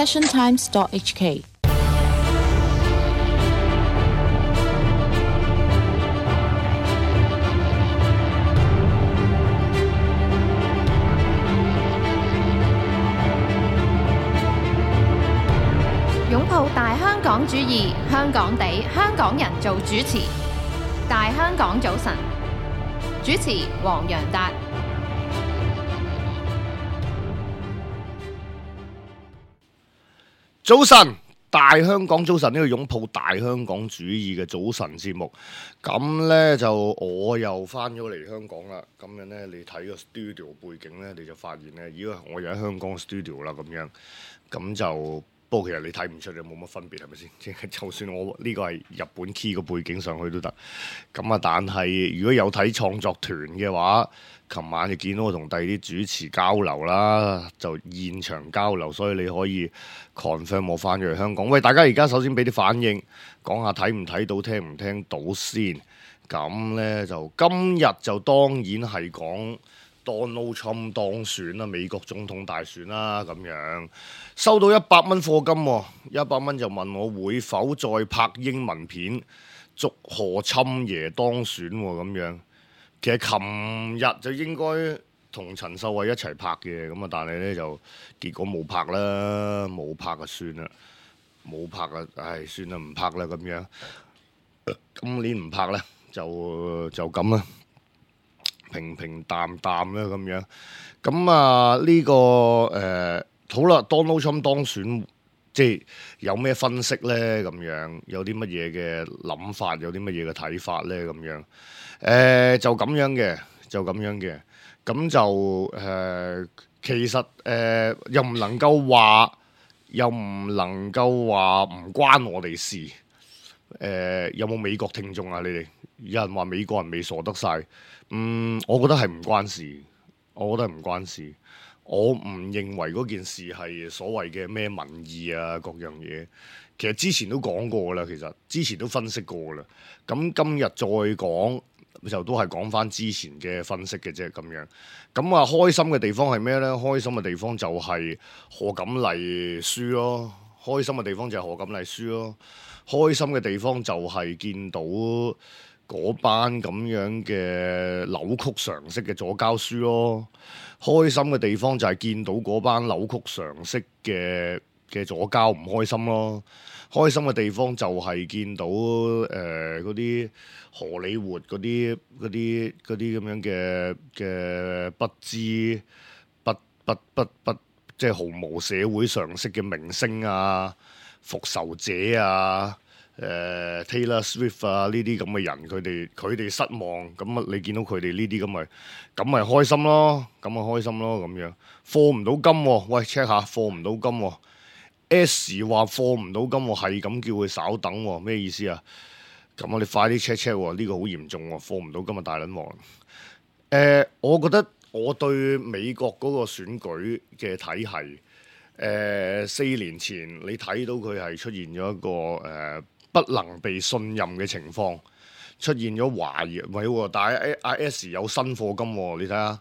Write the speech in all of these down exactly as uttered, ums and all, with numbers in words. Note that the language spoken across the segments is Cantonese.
passion times dot h k。擁抱大香港主義，香港地，香港人做主持。大香港早晨，主持黃洋達。早晨，大香港早晨，呢個擁抱大香港主義嘅早晨節目。咁呢，就我又翻咗嚟香港啦。咁樣呢，你睇個 studio 背景呢，你就發現呢，咦，我又喺香港 studio 啦。咁樣，咁就。不過其實你睇唔出，你冇乜分別係咪先？即係就算我呢個係日本 key 個背景上去都得。咁啊，但係如果有睇創作團嘅話，琴晚就見到我同第二啲主持交流啦，就現場交流，所以你可以 confirm 我翻咗嚟香港。喂，大家而家首先俾啲反應，講下睇唔睇到、聽唔聽到先。咁呢，就今日就當然係講Donald Trump 當選啦，美國總統大選啦，咁樣收到一百蚊課金喎，一百蚊就問我會否再拍英文片祝賀侵爺當選喎，咁樣。其實琴日就應該同陳秀慧一齊拍嘅，咁啊，但係呢就結果冇拍啦，冇拍就算啦，冇拍啊，唉，算啦，唔拍啦咁樣。今年唔拍呢，就就咁啦。平平淡淡啦咁樣，咁啊呢、這個誒、呃、好啦，Donald Trump 當選，即係有咩分析呢？咁樣有啲乜嘢嘅諗法，有啲乜嘢嘅睇法呢？咁樣誒、呃、就咁樣嘅，就咁樣嘅，咁就誒、呃、其實誒、呃、又唔能夠話，又唔能夠話唔關我哋事。誒、呃、有冇美國聽眾啊？你哋有人話美國人未傻得晒。嗯，我覺得係唔關事，我覺得係唔關事。我唔認為嗰件事係所謂嘅咩民意啊，各樣嘢。其實之前都講過啦，其實之前都分析過啦。咁今日再講就都係講翻之前嘅分析嘅啫，咁樣。咁啊，開心嘅地方係咩呢？開心嘅地方就係賀錦麗輸咯，開心嘅地方就係賀錦麗輸咯，開心嘅地方就係見到嗰班咁樣嘅扭曲常識嘅左膠書咯，開心嘅地方就係見到嗰班扭曲常識嘅嘅左膠唔開心咯，開心嘅地方就係見到誒嗰啲荷里活嗰啲嗰啲嗰啲咁樣嘅嘅不知不不不不即係毫無社會常識嘅明星啊、復仇者啊。誒、uh, Taylor Swift 啊，呢啲咁嘅人，佢哋佢哋失望，咁啊你見到佢哋呢啲咁咪咁咪開心咯，咁咪開心咯咁樣。貨唔到金喎，喂 check 下貨唔到金喎 ，S 話貨唔到金喎，係咁叫佢稍等喎，咩意思啊？咁我哋快啲 check check 喎，呢個好嚴重喎，貨唔到金啊大撚王。誒、呃，我覺得我對美國嗰個選舉嘅體系，誒四年前你睇到佢係出現咗一個誒。呃不能被信任嘅情況出現咗懷疑，唔係喎，但係阿 S 有新課金喎，你睇下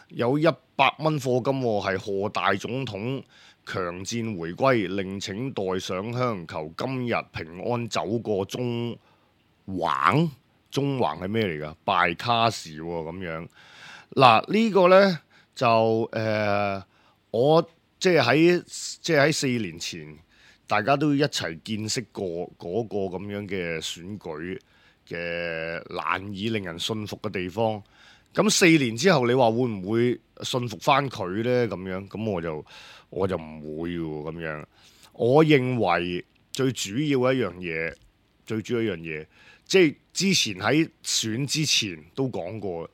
有一百蚊課金喎，係賀大總統強戰回歸，另請代上香，求今日平安走過中橫，中橫係咩嚟㗎？拜卡士喎咁樣。嗱呢個呢，就誒、呃，我即係喺即係喺四年前。大家都一齊見識過嗰個咁樣嘅選舉嘅難以令人信服嘅地方。咁四年之後，你話會唔會信服翻佢呢？咁樣咁我就我就唔會喎。咁樣，我認為最主要一樣嘢，最主要一樣嘢，即係之前喺選之前都講過，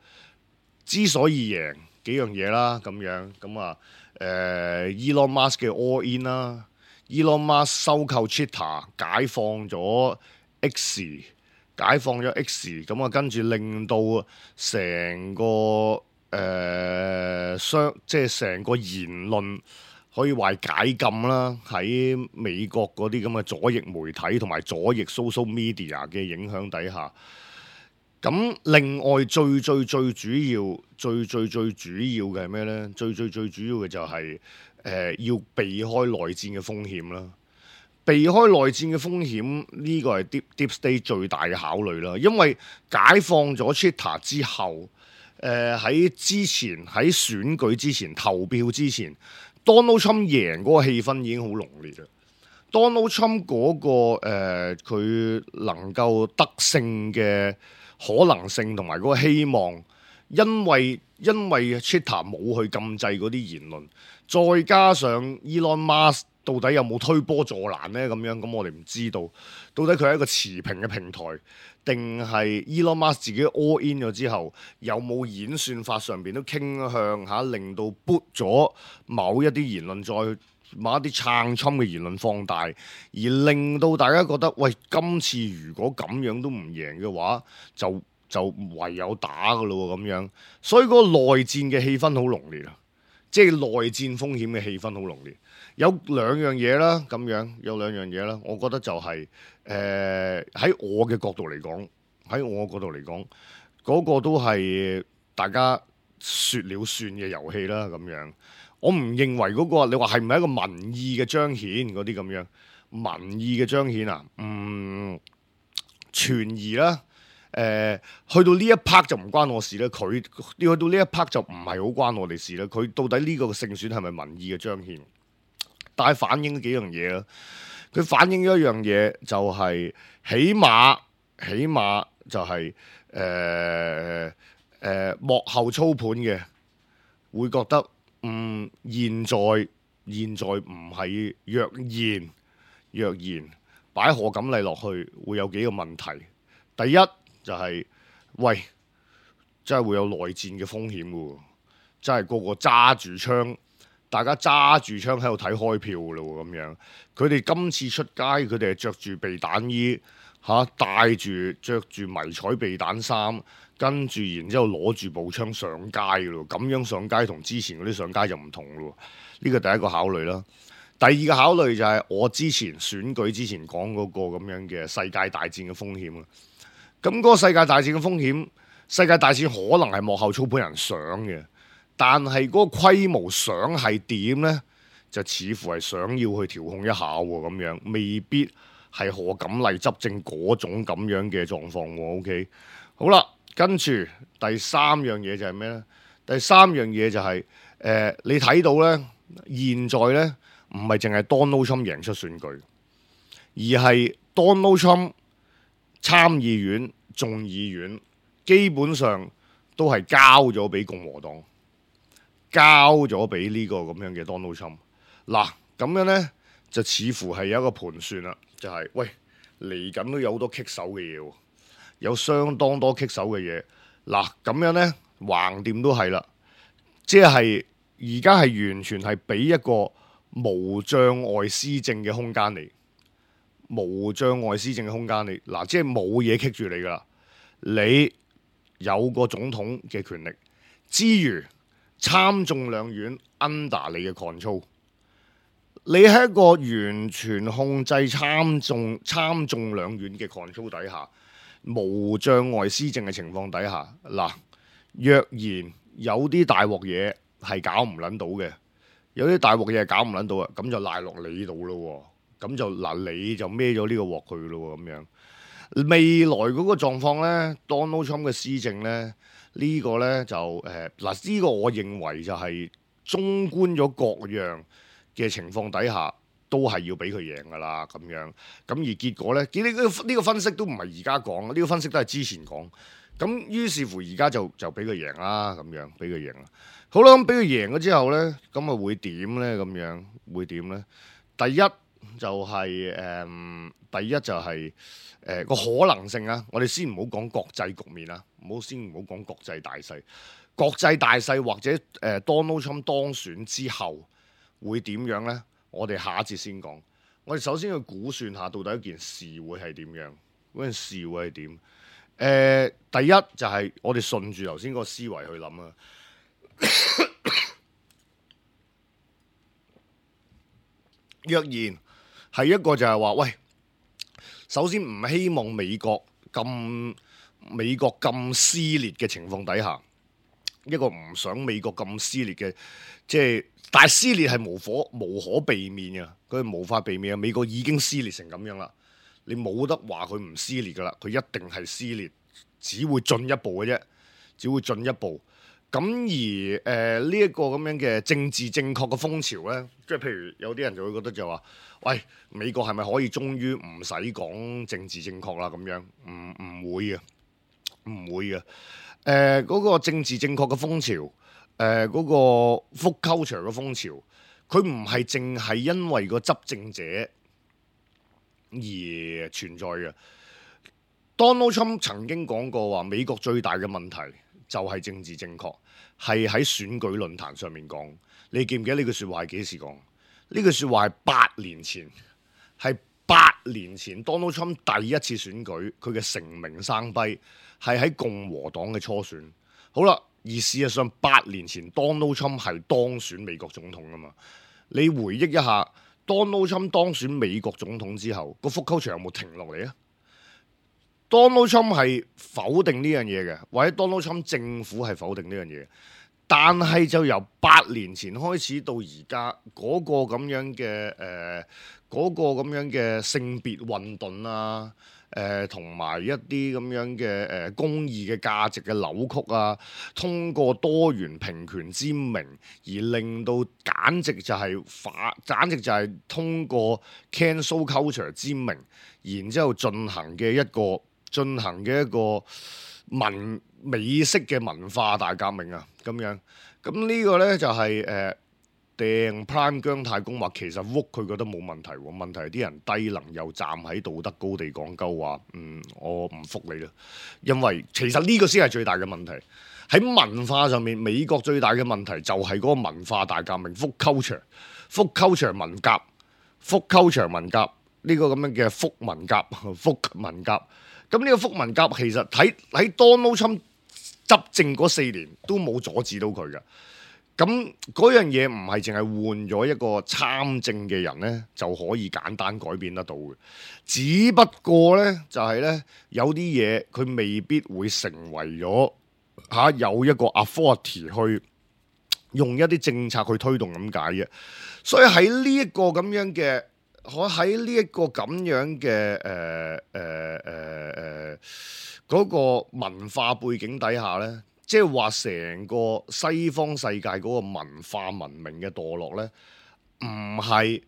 之所以贏幾樣嘢啦，咁樣咁啊，誒 Elon Musk 嘅 All In 啦。Elon Musk 收購 Twitter， 解放咗 X， 解放咗 X， 咁啊跟住令到成個誒商、呃，即係成個言論可以話解禁啦。喺美國嗰啲咁嘅左翼媒體同埋左翼 social media 嘅影響底下，咁另外最最最主要、最最最主要嘅係咩呢？最最最主要嘅就係、是。誒、呃、要避開內戰嘅風險啦。避開內戰嘅風險呢個係 Deep Deep State 最大嘅考慮啦。因為解放咗 Twitter 之後，誒、呃、喺之前喺選舉之前投票之前，Donald Trump 贏嗰個氣氛已經好濃烈啦。Donald Trump 嗰、那個佢、呃、能夠得勝嘅可能性同埋嗰個希望，因為因為 Twitter 冇去禁制嗰啲言論，再加上 Elon Musk 到底有冇推波助瀾呢？咁樣咁我哋唔知道，到底佢係一個持平嘅平台，定係 Elon Musk 自己 all in 咗之後，有冇演算法上邊都傾向嚇令到 boot 咗某一啲言論，再某一啲撐侵嘅言論放大，而令到大家覺得喂，今次如果咁樣都唔贏嘅話，就就唯有打噶咯咁樣。所以嗰個內戰嘅氣氛好濃烈啊，即係內戰風險嘅氣氛好濃烈。有兩樣嘢啦，咁樣有兩樣嘢啦，我覺得就係誒喺我嘅角度嚟講，喺我角度嚟講，嗰個都係大家説了算嘅遊戲啦，咁樣。我唔認為嗰個你話係唔係一個民意嘅彰顯嗰啲咁樣，民意嘅彰顯啊，嗯，存疑啦。誒、呃，去到呢一 part 就唔關我事啦。佢去到呢一 part 就唔係好關我哋事啦。佢到底呢個勝選係咪民意嘅彰顯？但係反映幾樣嘢啦。佢反映咗一樣嘢就係、是，起碼起碼就係誒誒幕後操盤嘅會覺得。嗯，現在現在唔係若然若然擺賀錦麗落去，會有幾個問題。第一就係、是，喂，真係會有內戰嘅風險嘅喎，真係個個揸住槍，大家揸住槍喺度睇開票嘅咯咁樣。佢哋今次出街，佢哋係着住避彈衣嚇，帶住着住迷彩避彈衫。跟住，然之後攞住步槍上街嘅咯，咁樣上街同之前嗰啲上街就唔同咯。呢個第一個考慮啦。第二個考慮就係我之前選舉之前講嗰個咁樣嘅世界大戰嘅風險啊。咁嗰個世界大戰嘅風險，世界大戰可能係幕後操盤人想嘅，但係嗰個規模想係點呢？就似乎係想要去調控一下喎，咁樣未必係賀錦麗執政嗰種咁樣嘅狀況喎。OK， 好啦。跟住第三樣嘢就係咩呢？第三樣嘢就係、是、誒、呃，你睇到呢，現在呢，唔係淨係 Donald Trump 贏出選舉，而係 Donald Trump 參議院、眾議院基本上都係交咗俾共和黨，交咗俾呢個咁樣嘅 Donald Trump。嗱，咁樣呢，就似乎係有一個盤算啦，就係、是、喂嚟緊都有好多棘手嘅嘢喎。有相當多棘手嘅嘢，嗱咁樣呢，橫掂都係啦，即係而家係完全係俾一個無障礙施政嘅空間嚟，無障礙施政嘅空間嚟，嗱即係冇嘢棘住你噶啦，你有個總統嘅權力之餘，參眾兩院 under 你嘅 control， 你喺一個完全控制參眾參眾兩院嘅 control 底下。無障礙施政嘅情況底下，嗱，若然有啲大鑊嘢係搞唔撚到嘅，有啲大鑊嘢係搞唔撚到啊，咁就賴落你度咯，咁就嗱你就孭咗呢個鑊去咯，咁樣未來嗰個狀況呢 Donald Trump 嘅施政呢，呢、呢個呢就誒嗱呢個我認為就係綜觀咗各樣嘅情況底下。都係要俾佢贏噶啦，咁樣咁而結果呢，呢、呢個呢個分析都唔係而家講，呢、呢個分析都係之前講。咁於是乎而家就就俾佢贏啦，咁樣俾佢贏啦。好啦，咁俾佢贏咗之後呢，咁啊會點呢？咁樣會點呢？第一就係、是、誒、嗯，第一就係誒個可能性啊。我哋先唔好講國際局面啊，唔好先唔好講國際大勢。國際大勢或者誒、呃、Donald Trump 當選之後會點樣呢？我哋下一節先講。我哋首先去估算下，到底一件事會係點樣？嗰件事會係點？誒、呃，第一就係我哋順住頭先個思維去諗啊。若然係一個就係話，喂，首先唔希望美國咁美國咁撕裂嘅情況底下，一個唔想美國咁撕裂嘅，即係但係撕裂係無可無可避免嘅，佢係無法避免嘅。美國已經撕裂成咁樣啦，你冇得話佢唔撕裂噶啦，佢一定係撕裂，只會進一步嘅啫，只會進一步。咁而誒呢一個咁樣嘅政治正確嘅風潮咧，即係譬如有啲人就會覺得就話，喂，美國係咪可以終於唔使講政治正確啦？咁樣唔唔會嘅，唔會嘅。誒、呃、嗰、嗰個政治正確嘅風潮，誒、呃、嗰、嗰個 woke culture 嘅風潮，佢唔係淨係因為個執政者而存在嘅。Donald Trump 曾經講過話，美國最大嘅問題就係政治正確，係喺選舉論壇上面講。你記唔記得呢句説話係幾時講？呢句説話係八年前，係八年前 Donald Trump 第一次選舉，佢嘅成名生輝係喺共和黨嘅初選。好啦，而事實上八年前 Donald Trump 係當選美國總統㗎嘛？你回憶一下 Donald Trump 當選美國總統之後，個 woke culture有冇停落嚟啊？Donald Trump 係否定呢樣嘢嘅，或者 Donald Trump 政府係否定呢樣嘢，但係就由八年前開始到而家嗰個咁樣嘅誒嗰個咁樣嘅性別運動啊，誒同埋一啲咁樣嘅誒、呃、公義嘅價值嘅扭曲啊，通過多元平權之名而令到簡直就係反，簡直就係通過 cancel culture 之名，然之後進行嘅一個。進行嘅一個文美式嘅文化大革命啊，咁樣咁呢個呢就係誒掟 Prime 姜太公話其實 woke 佢覺得冇問題喎，問題係啲人低能又站喺道德高地講鳩話，嗯，我唔服你啦，因為其實呢個先係最大嘅問題喺文化上面，美國最大嘅問題就係嗰個文化大革命 woke culture，woke culture 文革，woke culture 文革呢個咁樣嘅福文革，woke文革。咁呢個福文革其實喺喺 Donald Trump 執政嗰四年都冇阻止到佢嘅。咁嗰樣嘢唔係淨係換咗一個參政嘅人咧就可以簡單改變得到嘅。只不過咧就係、是、咧有啲嘢佢未必會成為咗嚇、啊、有一個 authority 去用一啲政策去推動咁解嘅。所以喺呢一個咁樣嘅。我喺呢一個咁樣嘅誒誒誒誒嗰個文化背景底下咧，即係話成個西方世界嗰個文化文明嘅墮落咧，唔係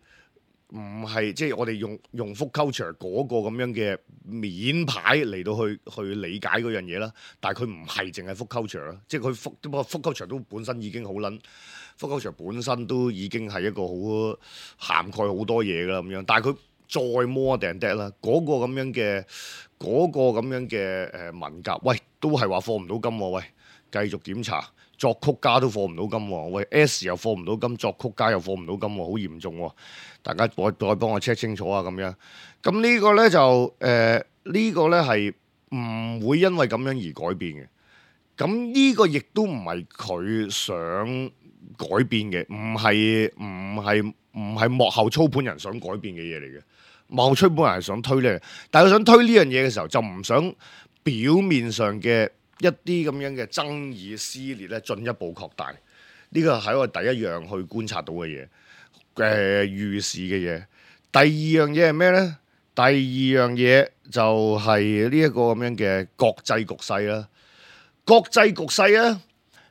唔係即係我哋用用 woke culture 嗰個咁樣嘅面牌嚟到去去理解嗰樣嘢啦，但係佢唔係淨係 woke culture 啦，即係佢 woke 不過 woke culture 都本身已經好撚。woke culture本身都已經係一個好涵蓋好多嘢㗎啦咁樣，但係佢再 more than that啦，嗰個咁樣嘅嗰個咁樣嘅誒文革，喂都係話課唔到金喎，喂繼續檢查，作曲家都課唔到金喎，喂 S 又課唔到金，作曲家又課唔到金喎，好嚴重喎，大家再再幫我 check 清楚啊咁樣，咁呢個咧就誒、呃這個、呢個咧係唔會因為咁樣而改變嘅，咁呢個亦都唔係佢想改變嘅，唔係唔係唔係幕後操盤人想改變嘅嘢嚟嘅。幕後操盤人係想推呢，但係佢想推呢樣嘢嘅時候，就唔想表面上嘅一啲咁樣嘅爭議撕裂咧進一步擴大。呢個係我第一樣去觀察到嘅嘢，誒、呃、預示嘅嘢。第二樣嘢係咩咧？第二樣嘢就係呢一個咁樣嘅國際局勢啦。國際局勢咧。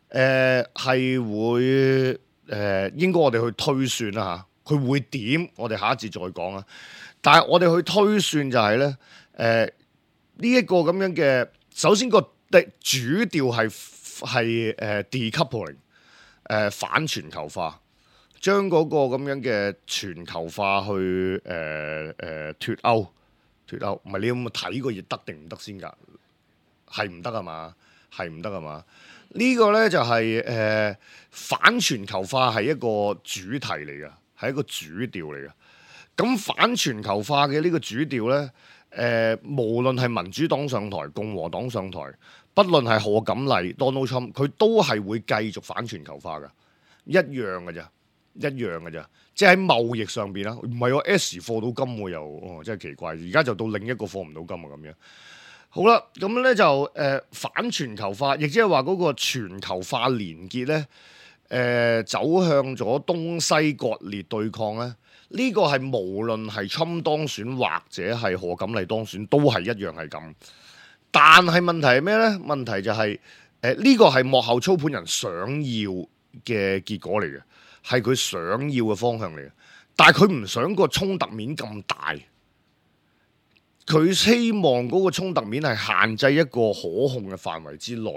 誒係、呃、會誒、呃、應該我哋去推算啦嚇，佢會點？我哋下一節再講啊。但係我哋去推算就係咧，誒呢一個咁樣嘅，首先個的主調係係誒 decoupling，誒反全球化，將嗰個咁樣嘅全球化去誒誒脫歐脫歐，唔係你有冇睇過嘢得定唔得先㗎？係唔得啊嘛？係唔得啊嘛？呢個呢就係、是、誒、呃、反全球化係一個主題嚟嘅，係一個主調嚟嘅。咁反全球化嘅呢個主調呢，誒、呃、無論係民主黨上台、共和黨上台，不論係賀錦麗、Donald Trump，佢都係會繼續反全球化嘅，一樣嘅咋，一樣嘅咋。即係喺貿易上邊啦，唔係我 S 貨到金喎又，哦真係奇怪。而家就到另一個貨唔到金啊咁樣。好啦，咁咧就誒、呃、反全球化，亦即係話嗰個全球化連結咧，誒、呃、走向咗東西割裂對抗咧。呢、這個係無論係侵當選或者係賀錦麗當選，都係一樣係咁。但係問題係咩咧？問題就係誒呢個係幕後操盤人想要嘅結果嚟嘅，係佢想要嘅方向嚟嘅。但係佢唔想個衝突面咁大。佢希望嗰個衝突面係限制一個可控嘅範圍之內，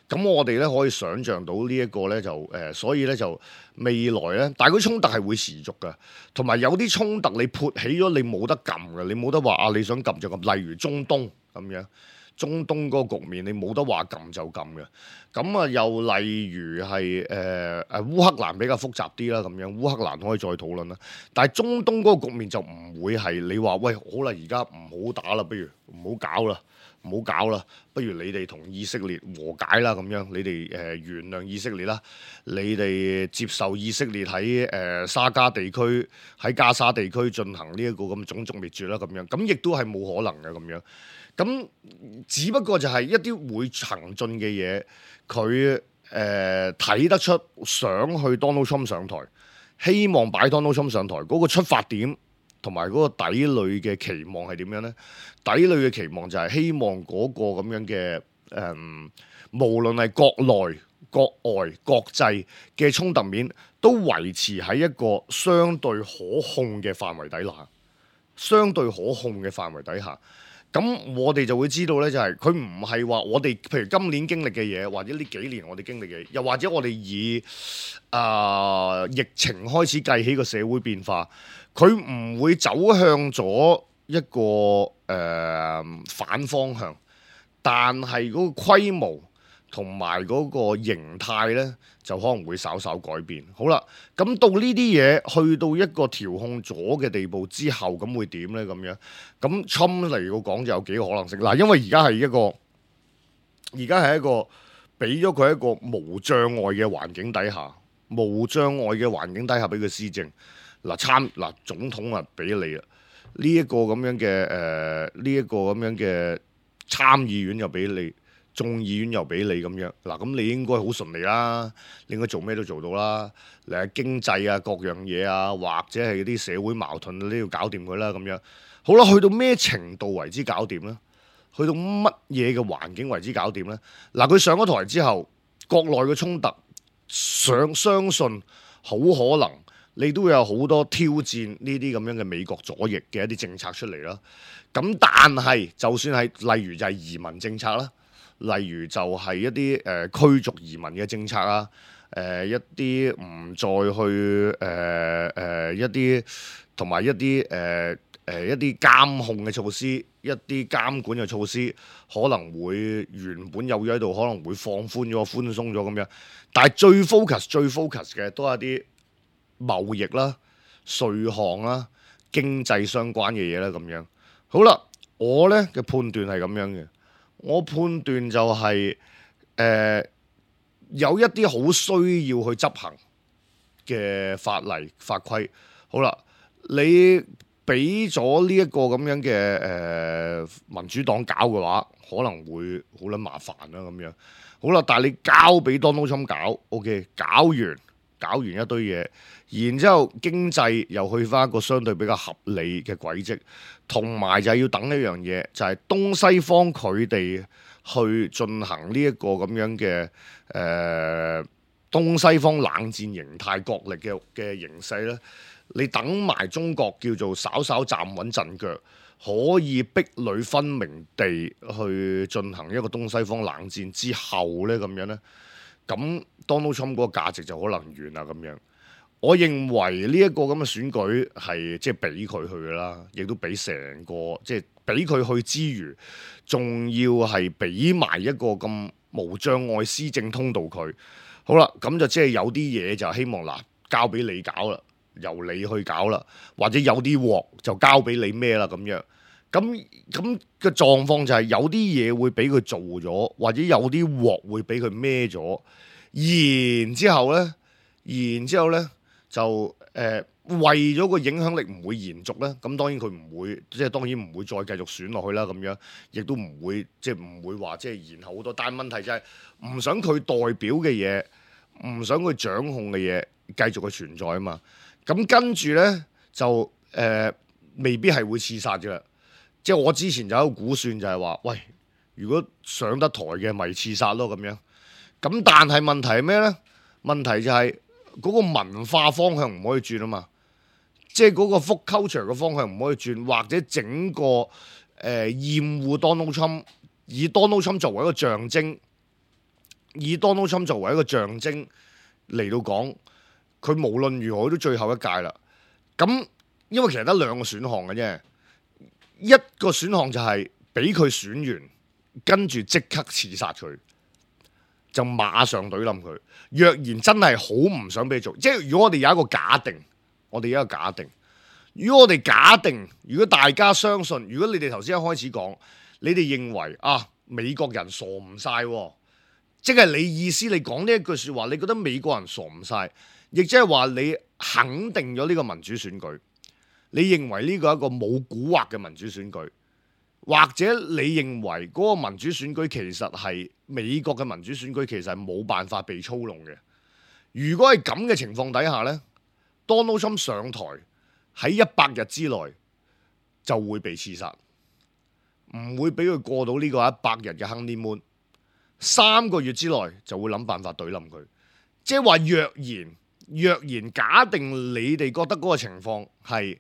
咁我哋咧可以想像到呢一個咧就誒、呃，所以咧就未來咧，但係嗰衝突係會持續嘅，同埋有啲衝突你撥起咗你冇得撳嘅，你冇得話啊你想撳就撳，例如中東咁樣，中東嗰個局面你冇得話撳就撳嘅，咁啊又例如係誒誒烏克蘭比較複雜啲啦，咁樣烏克蘭可以再討論啦，但係中東嗰個局面就唔會係你話喂好啦，而家唔好打啦，不如唔好搞啦，唔好搞啦，不如你哋同以色列和解啦，咁樣你哋誒、呃、原諒以色列啦，你哋接受以色列喺誒、呃、沙加地區喺加沙地區進行呢一個咁種族滅絕啦，咁樣咁亦都係冇可能嘅咁樣。咁只不過就係一啲會行進嘅嘢，佢誒睇得出想去 Donald Trump 上台，希望擺 Donald Trump 上台嗰、那個出發點同埋嗰個底裏嘅期望係點樣呢？底裏嘅期望就係希望嗰個咁樣嘅誒、呃，無論係國內、國外、國際嘅衝突面，都維持喺一個相對可控嘅範圍底下，相對可控嘅範圍底下。咁我哋就會知道咧，就係佢唔係話我哋，譬如今年經歷嘅嘢，或者呢幾年我哋經歷嘅嘢，又或者我哋以啊、呃、疫情開始計起個社會變化，佢唔會走向咗一個誒、呃、反方向，但係嗰個規模同埋嗰個形態咧，就可能會稍稍改變。好啦，咁到呢啲嘢去到一個調控咗嘅地步之後，咁會點咧？咁樣咁 Trump 嚟講就有幾個可能性。嗱，因為而家係一個，而家係一個俾咗佢一個無障礙嘅環境底下，無障礙嘅環境底下俾佢施政。嗱參嗱總統啊俾你啦，呢、這、一個咁樣嘅誒，呢一個咁樣嘅參議院又俾你。眾議院又俾你咁樣，嗱咁你應該好順利啦，你應該做咩都做到啦。誒經濟啊，各樣嘢啊，或者係啲社會矛盾都要搞掂佢啦咁樣。好啦，去到咩程度為之搞掂咧？去到乜嘢嘅環境為之搞掂咧？嗱，佢上咗台之後，國內嘅衝突，想相信好可能你都會有好多挑戰呢啲咁樣嘅美國左翼嘅一啲政策出嚟啦。咁但係就算係例如就係移民政策啦。例如就係一啲誒、呃、驅逐移民嘅政策啊，誒、呃、一啲唔再去誒誒、呃呃、一啲同埋一啲誒誒一啲監控嘅措施，一啲監管嘅措施可能會原本有咗喺度，可能會放寬咗、寬鬆咗咁樣。但係最 focus、最 focus 嘅都係一啲貿易啦、稅項啦、經濟相關嘅嘢啦咁樣。好啦，我咧嘅判斷係咁樣嘅。我判斷就係、是、誒、呃、有一啲好需要去執行嘅法例法規。好啦，你俾咗呢一個咁樣嘅誒、呃、民主黨搞嘅話，可能會好撚麻煩啦咁樣。好啦，但係你交俾 Donald Trump 搞 ，OK， 搞完搞完一堆嘢，然之後經濟又去返一個相對比較合理嘅軌跡。同埋就係要等一樣嘢，就係、是、東西方佢哋去進行呢一個咁樣嘅誒、呃、東西方冷戰形態角力嘅嘅形勢咧，你等埋中國叫做稍稍站穩陣腳，可以壁壘分明地去進行一個東西方冷戰之後咧，咁樣咧，咁 Donald Trump 嗰個價值就可能完啦咁樣。我認為呢一個咁嘅選舉係即係俾佢去㗎啦，亦都俾成個即係俾佢去之餘，仲要係俾埋一個咁無障礙施政通道佢。好啦，咁就即係有啲嘢就希望嗱交俾你搞啦，由你去搞啦，或者有啲鑊就交俾你孭啦咁樣。咁咁嘅狀況就係有啲嘢會俾佢做咗，或者有啲鑊會俾佢孭咗。然之後咧，然之後咧。就誒、呃、為咗個影響力唔會延續咧，咁當然佢唔會，即係當然唔會再繼續選落去啦。咁樣亦都唔會即係唔會話即係延後好多。但係問題就係唔想佢代表嘅嘢，唔想佢掌控嘅嘢繼續去存在啊嘛。咁跟住咧就誒、呃、未必係會刺殺嘅。即係我之前就有一個估算就係話，喂，如果上得台嘅咪刺殺咯咁樣。咁但係問題係咩咧？問題就係嗰個文化方向唔可以轉啊嘛。即係嗰個 folk culture 嘅方向唔可以轉，或者整個誒、呃、厭惡 Donald Trump，以 Donald Trump 作為一個象徵，以 Donald Trump 作為一個象徵嚟到講，佢無論如何都最後一屆啦。咁因為其實得兩個選項嘅啫，一個選項就係俾佢選完，跟住即刻刺殺佢，就馬上懟冧佢。若然真係好唔想俾佢做，即係如果我哋有一個假定。我哋有一個假定，如果我哋假定，如果大家相信，如果你哋頭先一開始講，你哋認為啊美國人傻唔晒，即係你意思，你講呢一句説話，你覺得美國人傻唔晒，亦即係話你肯定咗呢個民主選舉，你認為呢個係一個冇蠱惑嘅民主選舉，或者你認為嗰個民主選舉其實係美國嘅民主選舉，其實係冇辦法被操弄嘅。如果係咁嘅情況底下呢，Donald Trump 上台喺一百日之內就會被刺殺，唔會俾佢過到呢個一百日嘅 honeymoon，三個月之內就會諗辦法懟冧佢。即係話若然若然假定你哋覺得嗰個情況係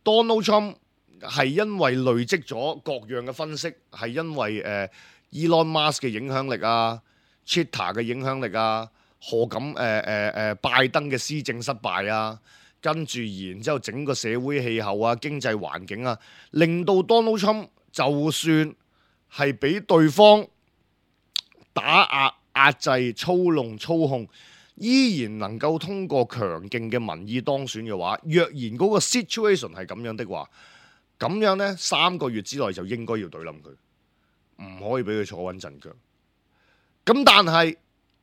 Donald Trump 係因為累積咗各樣嘅分析，係因為誒、呃、Elon Musk 嘅影響力啊、Twitter 嘅影響力啊。何咁誒誒誒拜登嘅施政失敗啊，跟住然之後整個社會氣候啊、經濟環境啊，令到 Donald Trump 就算係俾對方打壓、壓制、操弄、操控，依然能夠通過強勁嘅民意當選嘅話，若然嗰個 situation 係咁樣的話，咁樣呢三個月之內就應該要懟冧佢，唔可以俾佢坐穩陣腳。咁但係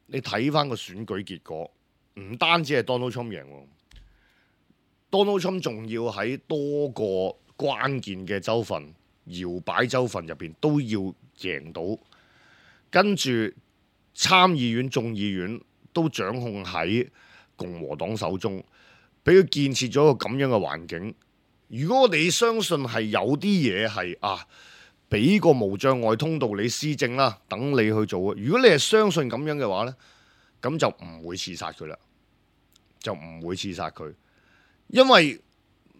你睇翻個選舉結果，唔單止係 Donald Trump 贏，Donald Trump 仲要喺多個關鍵嘅州份、搖擺州份入邊都要贏到，跟住參議院、眾議院都掌控喺共和黨手中，俾佢建設咗一個咁樣嘅環境。如果我哋相信係有啲嘢係啊，俾個無障礙通道你施政啦，等你去做。如果你係相信咁樣嘅話呢，咁就唔會刺殺佢啦，就唔會刺殺佢，因為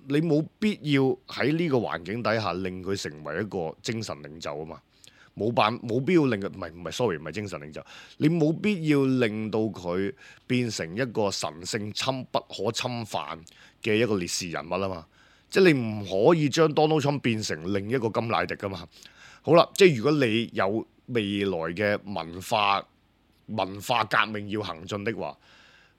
你冇必要喺呢個環境底下令佢成為一個精神領袖啊嘛，冇辦冇必要令佢唔係唔係 sorry 唔係精神領袖，你冇必要令到佢變成一個神聖侵不可侵犯嘅一個烈士人物啊嘛。即係你唔可以將 Donald Trump 變成另一個甘迺迪噶嘛。好啦，即係如果你有未來嘅文化文化革命要行進的話，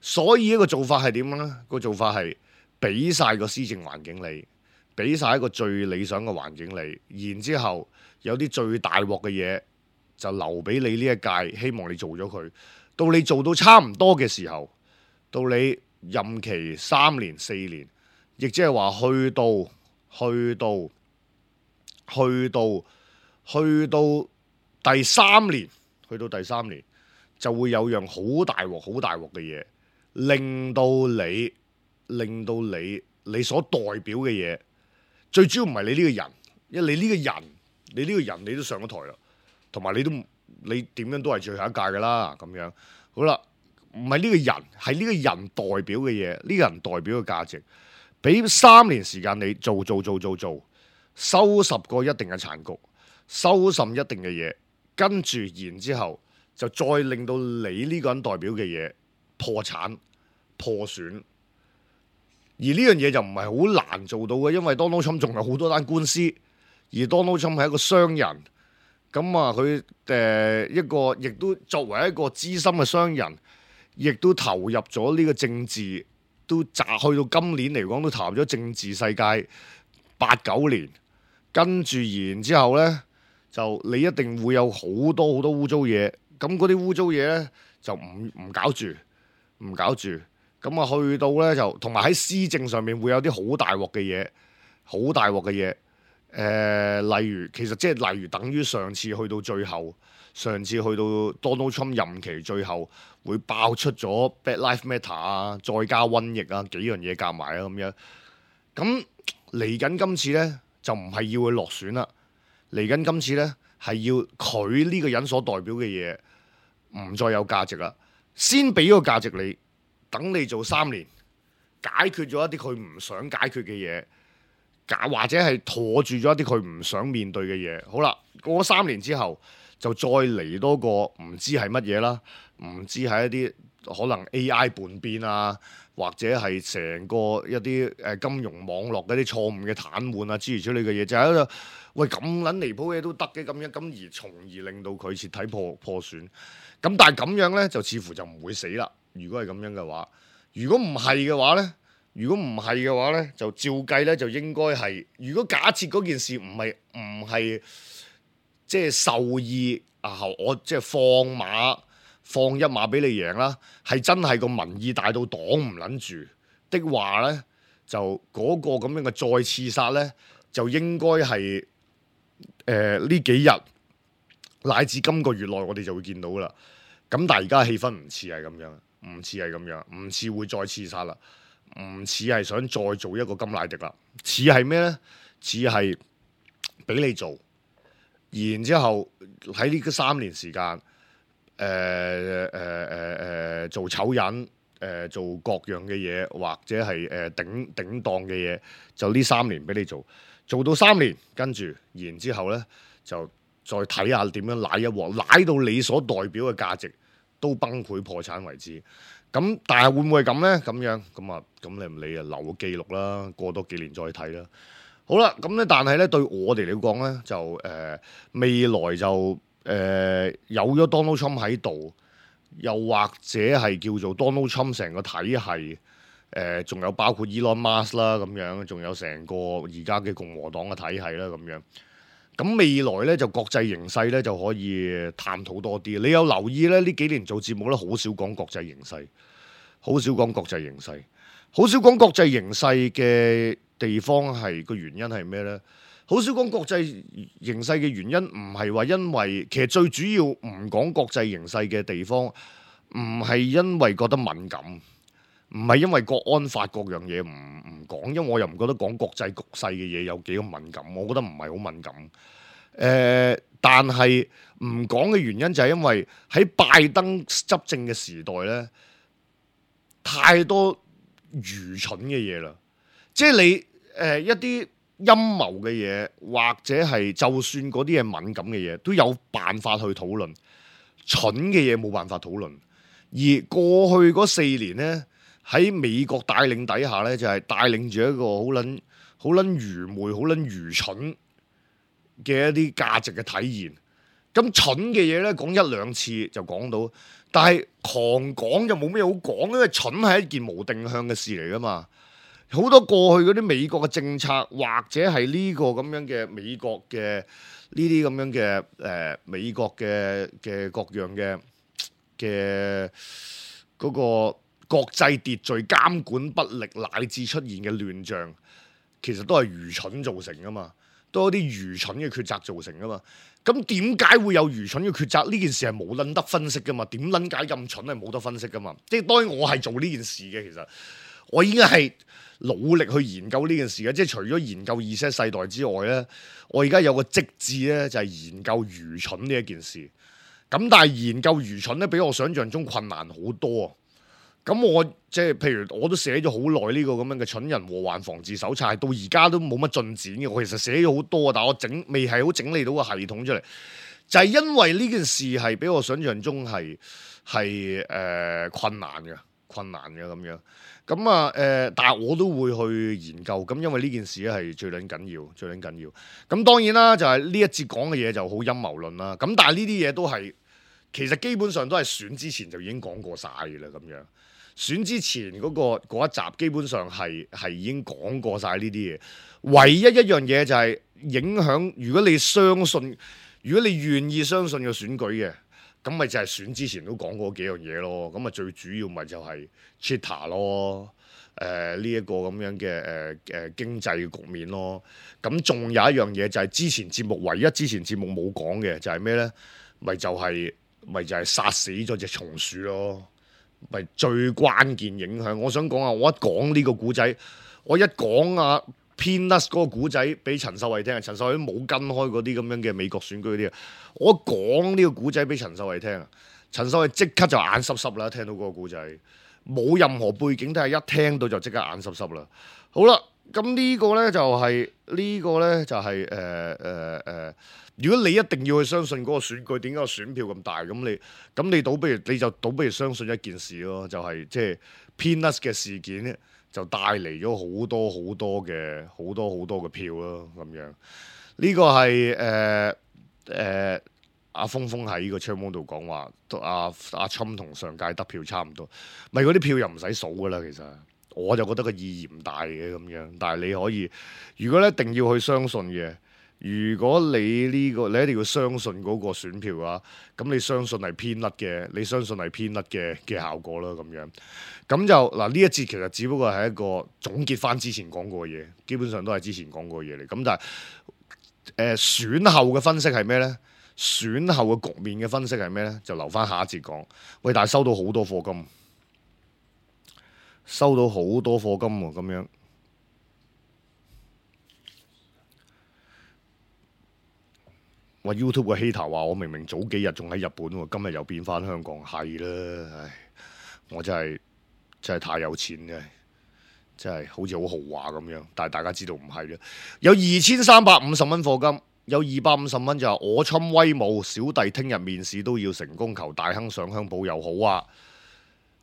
所以一個做法係點呢？個做法係俾晒個施政環境你，俾晒一個最理想嘅環境你，然之後有啲最大鑊嘅嘢就留俾你呢一屆，希望你做咗佢。到你做到差唔多嘅時候，到你任期三年四年。亦即係話去到去到去到去到第三年，去到第三年就會有樣好大鑊、好大鑊嘅嘢，令到你令到你你所代表嘅嘢，最主要唔係你呢個人，因為你呢個人，你呢個人你都上咗台啦，同埋你都你點樣都係最後一屆噶啦，咁樣好啦，唔係呢個人，係呢個人代表嘅嘢，呢個人代表嘅價值。俾三年時間你做做做做做，收拾過一定嘅殘局，收拾一定嘅嘢，跟住然之後就再令到你呢個人代表嘅嘢破產破損。而呢樣嘢就唔係好難做到嘅，因為 Donald Trump 仲有好多單官司，而 Donald Trump 係一個商人，咁啊佢誒一個亦都作為一個資深嘅商人，亦都投入咗呢個政治。都砸去到今年嚟講，都投入咗政治世界八九年，跟住然之後呢，就你一定會有好多好多污糟嘢。咁嗰啲污糟嘢呢，就唔唔搞住，唔搞住。咁咁啊去到咧就同埋喺施政上面會有啲好大鑊嘅嘢，好大鑊嘅嘢。誒、呃，例如其實即係例如等於上次去到最後，上次去到 Donald Trump 任期最後會爆出咗 Black Lives Matter 啊，再加瘟疫啊幾樣嘢夾埋啊咁樣。咁嚟緊今次咧就唔係要佢落選啦，嚟緊今次咧係要佢呢個人所代表嘅嘢唔再有價值啦，先俾個價值你。等你做三年，解決咗一啲佢唔想解決嘅嘢，或者係妥住咗一啲佢唔想面對嘅嘢。好啦，過三年之後，就再嚟多個唔知係乜嘢啦，唔知係一啲可能 A I 叛變啊，或者係成個一啲誒金融網絡嗰啲錯誤嘅癱瘓啊，諸如此類嘅嘢，就喺度喂咁撚離譜嘢都得嘅咁樣，咁而從而令到佢徹底破破損。咁但係咁樣呢，就似乎就唔會死啦。如果係咁樣嘅話，如果唔係嘅話呢，如果唔係嘅話呢，就照計呢，就應該係。如果假設嗰件事唔係唔係即係受意啊，我即係放馬放一馬俾你贏啦，係真係個民意大到擋唔撚住的話呢，就嗰個咁樣嘅再刺殺呢，就應該係誒呢幾日乃至今個月內，我哋就會見到啦。咁但係而家氣氛唔似係咁樣。唔似係咁樣，唔似會再刺殺啦，唔似係想再做一個甘迺迪啦，似係咩呢？似係俾你做，然之後喺呢個三年時間，誒誒誒誒做醜人，誒、呃、做各樣嘅嘢，或者係誒、呃、頂頂檔嘅嘢，就呢三年俾你做，做到三年，跟住然之後呢，就再睇下點樣舐一鑊，舐到你所代表嘅價值都崩潰破產為止，咁但係會唔會咁呢？咁樣咁啊，咁你唔理啊，留個記錄啦，過多幾年再睇啦。好啦，咁咧，但係咧對我哋嚟講咧，就誒、呃、未來就誒、呃、有咗 Donald Trump 喺度，又或者係叫做 Donald Trump 成個體系，誒仲有包括 Elon Musk 啦咁樣，仲有成個而家嘅共和黨嘅體系啦咁樣。咁未來咧就國際形勢咧就可以探討多啲。你有留意咧？呢幾年做節目咧，好少講國際形勢，好少講國際形勢，好少講國際形勢嘅地方係個原因係咩咧？好少講國際形勢嘅原因唔係話因為其實最主要唔講國際形勢嘅地方，唔係因為覺得敏感。唔係因為國安法各樣嘢唔唔講，因為我又唔覺得講國際局勢嘅嘢有幾咁敏感，我覺得唔係好敏感。誒、呃，但係唔講嘅原因就係因為喺拜登執政嘅時代咧，太多愚蠢嘅嘢啦。即係你誒、呃、一啲陰謀嘅嘢，或者係就算嗰啲係敏感嘅嘢，都有辦法去討論。蠢嘅嘢冇辦法討論。而過去嗰四年咧，喺美國帶領底下咧，就係、是、帶領住一個好撚好撚愚昧、好撚愚蠢嘅一啲價值嘅體現。咁蠢嘅嘢咧，講一兩次就講到，但係狂講就冇咩好講，因為蠢係一件無定向嘅事嚟噶嘛。好多過去嗰啲美國嘅政策，或者係呢個咁樣嘅美國嘅呢啲咁樣嘅誒、呃、美國嘅嘅各樣嘅嘅嗰個國際秩序監管不力，乃至出現嘅亂象，其實都係愚蠢造成噶嘛，都係啲愚蠢嘅抉擇造成噶嘛。咁點解會有愚蠢嘅抉擇？呢件事係冇撚得分析噶嘛？點撚解咁蠢係冇得分析噶嘛？即係當然我係做呢件事嘅，其實我已經係努力去研究呢件事嘅。即係除咗研究 Z 世代之外咧，我而家有個職志咧，就係研究愚蠢呢一件事。咁但係研究愚蠢咧，比我想象中困難好多啊！咁我即係譬如我都寫咗好耐呢個咁樣嘅蠢人禍患防治手冊，到而家都冇乜進展嘅。我其實寫咗好多，但係我整未係好整理到個系統出嚟，就係、是、因為呢件事係比我想象中係係誒困難嘅，困難嘅咁樣。咁啊誒，但係我都會去研究。咁因為呢件事咧係最撚緊要，最撚緊要。咁當然啦，就係、是、呢一節講嘅嘢就好陰謀論啦。咁但係呢啲嘢都係其實基本上都係選之前就已經講過晒嘅啦，咁樣。選之前嗰、嗰個嗰一集基本上係係已經講過晒呢啲嘢，唯一一樣嘢就係影響。如果你相信，如果你願意相信個選舉嘅，咁咪就係選之前都講過幾樣嘢咯。咁啊最主要咪就係 Cheetah 咯，誒呢一個咁樣嘅誒誒經濟局面咯。咁仲有一樣嘢就係之前節目唯一之前節目冇講嘅就係咩咧？咪就係、是、咪就係殺死咗隻松鼠咯。咪最關鍵影響。我想講啊，我一講呢個古仔，我一講啊 Peanuts 嗰個古仔俾陳秀慧聽，陳秀慧都冇跟開嗰啲咁樣嘅美國選舉嗰啲啊。我一講呢個古仔俾陳秀慧聽啊，陳秀慧即刻就眼濕濕啦，聽到嗰個古仔，冇任何背景，但係一聽到就即刻眼濕濕啦。好啦，咁呢個咧就係、是、呢、這個咧就係誒誒誒。如果你一定要去相信嗰個選舉，點解個選票咁大？咁你咁你倒不如你就倒不如相信一件事咯，就係即係 Peanuts 嘅事件咧，就帶嚟咗好多好多嘅好多好多嘅票咯，咁樣呢、這個係誒誒阿峰峰喺個窗網度講話，阿阿侵同上屆得票差唔多，咪嗰啲票又唔使數噶啦，其實我就覺得個意義唔大嘅咁樣，但係你可以，如果你一定要去相信嘅。如果你呢、這個你一定要相信嗰個選票啊，咁你相信係偏甩嘅，你相信係偏甩嘅嘅效果啦，咁樣咁就嗱呢一節其實只不過係一個總結翻之前講過嘅嘢，基本上都係之前講過嘅嘢嚟。咁但係誒、呃、選後嘅分析係咩咧？選後嘅局面嘅分析係咩咧？就留翻下一節講。喂，但係收到好多課金，收到好多課金喎，咁樣。話 YouTube 嘅 hater 話我明明早幾日仲喺日本喎，今日又變翻香港，係啦，唉，我真係真係太有錢嘅，真係好似好豪華咁樣，但係大家知道唔係啦，有二千三百五十蚊課金，有二百五十蚊就係我侵威武，小弟聽日面試都要成功，求大亨上香保佑好啊，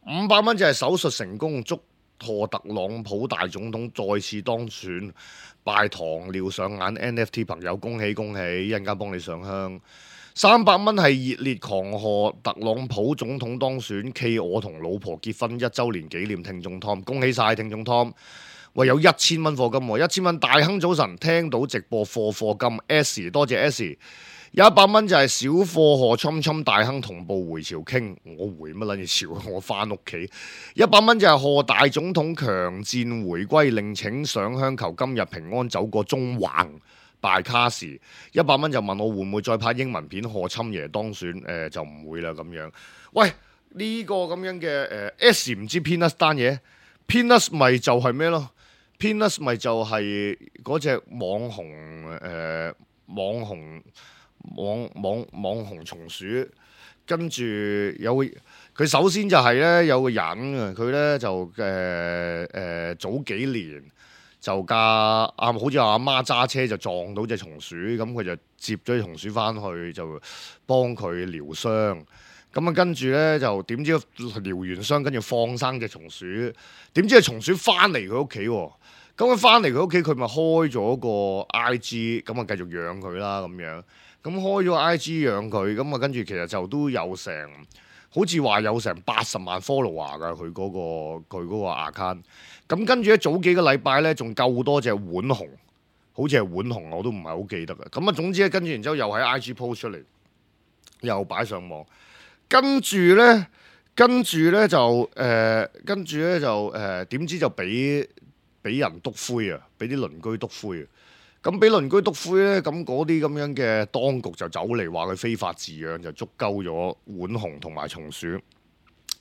五百蚊就係手術成功，祝賀特朗普大總統再次當選。拜糖尿上眼 N F T 朋友恭喜恭喜，一陣間幫你上香。三百蚊係熱烈狂賀特朗普總統當選，暨我同老婆結婚一週年紀念聽眾 Tom， 恭喜晒聽眾 Tom。喂，有一千蚊課金喎，一千蚊大亨早晨，聽到直播課課金 S， 多謝 S。有一百蚊就係小貨賀侵侵大亨同步回朝傾，我回乜撚嘢朝？我翻屋企。一百蚊就係賀大總統強戰回歸，另請上香求今日平安走過中環拜卡士。一百蚊就問我會唔會再拍英文片賀侵爺當選？誒、呃、就唔會啦咁樣。喂，呢、這個咁樣嘅誒、呃、S 唔知 Peanuts 單嘢 Peanuts 咪就係咩咯 Peanuts 咪就係嗰隻網紅誒、呃、網紅。網網網紅松鼠，跟住有佢首先就係咧有個人啊，佢咧就誒誒、呃呃、早幾年就架啊，好似阿媽揸車就撞到隻松鼠，咁佢就接咗隻松鼠翻去就幫佢療傷，咁啊跟住咧就點知療完傷，跟住放生隻松鼠，點知隻松鼠翻嚟佢屋企喎，咁佢翻嚟佢屋企佢咪開咗個 I G， 咁啊繼續養佢啦咁樣。咁開咗 I G 養佢，咁啊跟住其實就都有成，好似話有成八十萬 follower 噶佢嗰個佢嗰個 account。咁跟住咧早幾個禮拜咧仲夠多隻浣熊，好似係浣熊我都唔係好記得嘅。咁啊總之咧跟住然之後又喺 I G post 出嚟，又擺上網。跟住咧，跟住咧就誒，跟住咧就誒點知就俾俾人篤灰啊，俾啲鄰居篤灰啊。咁俾鄰居篤灰咧，咁嗰啲咁樣嘅當局就走嚟話佢非法飼養，就捉鳩咗浣熊同埋松鼠。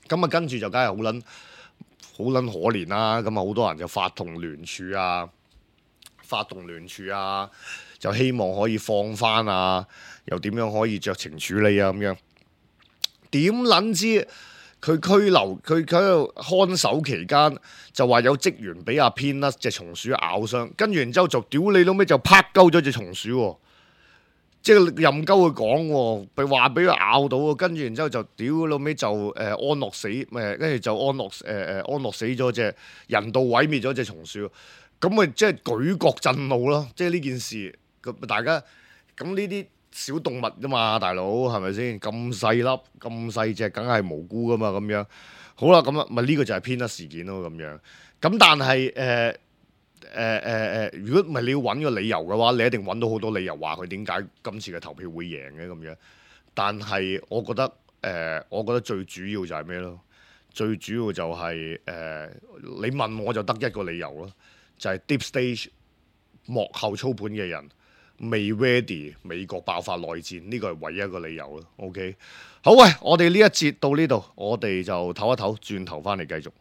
咁啊跟住就梗係好撚好撚可憐啦。咁啊好多人就發動聯署啊，發動聯署啊，就希望可以放翻啊，又點樣可以酌情處理啊咁樣。點撚知？佢拘留，佢喺度看守期間就話有職員俾阿 Peanuts 隻松鼠咬傷，跟住然之後就屌你老尾就拍鳩咗隻松鼠喎，即係任鳩佢講喎，被話俾佢咬到喎，跟住然之後就屌老尾就誒、呃、安樂死，誒跟住就安樂誒誒、呃、安樂死咗隻人道毀滅咗隻松鼠，咁咪即係舉國震怒咯，即係呢件事咁大家咁呢啲。小動物啫嘛，大佬係咪先？咁細粒咁細隻，梗係無辜噶嘛咁樣。好啦，咁啊，咪呢個就係 Peanuts 事件咯咁樣。咁但係誒誒誒誒，如果唔係你要揾個理由嘅話，你一定揾到好多理由話佢點解今次嘅投票會贏嘅咁樣。但係我覺得呃，我覺得最主要就係咩咯？最主要就係、是、誒、呃，你問我就得一個理由咯，就係、是、Deep State 幕後操盤嘅人未 ready 美國爆發內戰，呢個係唯一一個理由咯。OK， 好喂，我哋呢一節到呢度，我哋就唞一唞，轉頭翻嚟繼續。